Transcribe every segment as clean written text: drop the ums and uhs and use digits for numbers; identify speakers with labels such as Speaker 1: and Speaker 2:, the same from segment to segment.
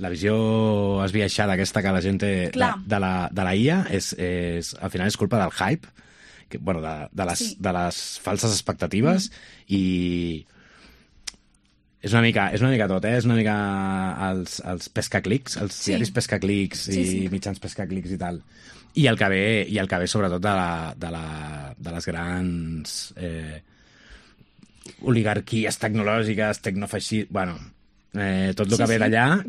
Speaker 1: la visió esbiaixada aquesta que la gent té de la IA al final és culpa del hype, de les falses expectatives i és una mica tot, és una mica els pescaclics, els diaris pescaclics i mitjans pescaclics i tal. I el que ve sobretot de les grans oligarquies tecnològiques, tecnofeixistes, tot el que ve d'allà,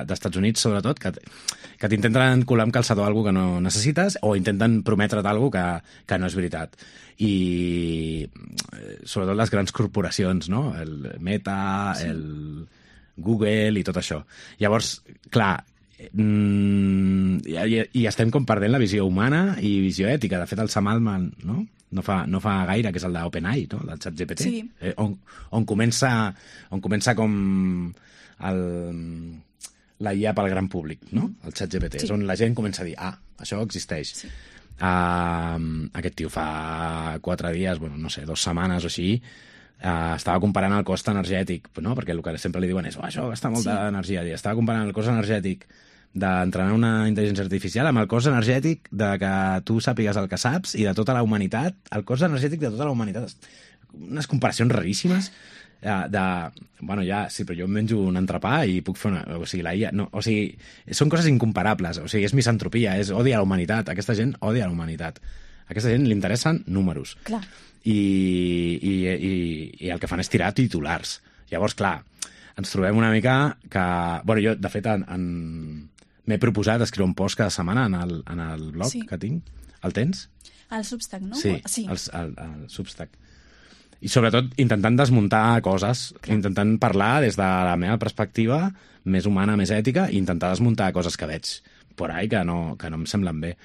Speaker 1: d'Estats Units sobretot, que t'intenten colar amb calçador alguna que no necessites o intenten prometre't alguna que no és veritat. I sobretot les grans corporacions, no? El Meta, el Google i tot això. Llavors, clar, i estem com perdent la visió humana i visió ètica. De fet, el Sam Altman, no fa gaire, que és el d'OpenAI, no? Del ChatGPT, on comença com la IA pel gran públic, no? El ChatGPT, és on la gent comença a dir, això existeix. Aquest tio fa 4 dies, 2 setmanes o així, estava comparant el cost energètic, no? Perquè el que sempre li diuen és això gasta molta energia. Estava comparant el cost energètic d'entrenar una intel·ligència artificial amb el cost energètic de que tu sàpigues el que saps i de tota la humanitat, el cost energètic de tota la humanitat. Unes comparacions raríssimes però jo em menjo un entrepà i puc fer la IA... són coses incomparables, és misantropia, és odi a la humanitat. Aquesta gent odia a la humanitat. A aquesta gent li interessen números.
Speaker 2: Clar.
Speaker 1: I el que fan és tirar titulars. Llavors, clar, ens trobem una mica que... jo, de fet, m'he proposat escriure un post cada setmana en el blog que tinc. El tens?
Speaker 2: El Substack, no?
Speaker 1: Sí, el Substack. I sobretot intentant desmuntar coses, intentant parlar des de la meva perspectiva més humana, més ètica, i intentar desmuntar coses que veig por ahí que no em semblen bé.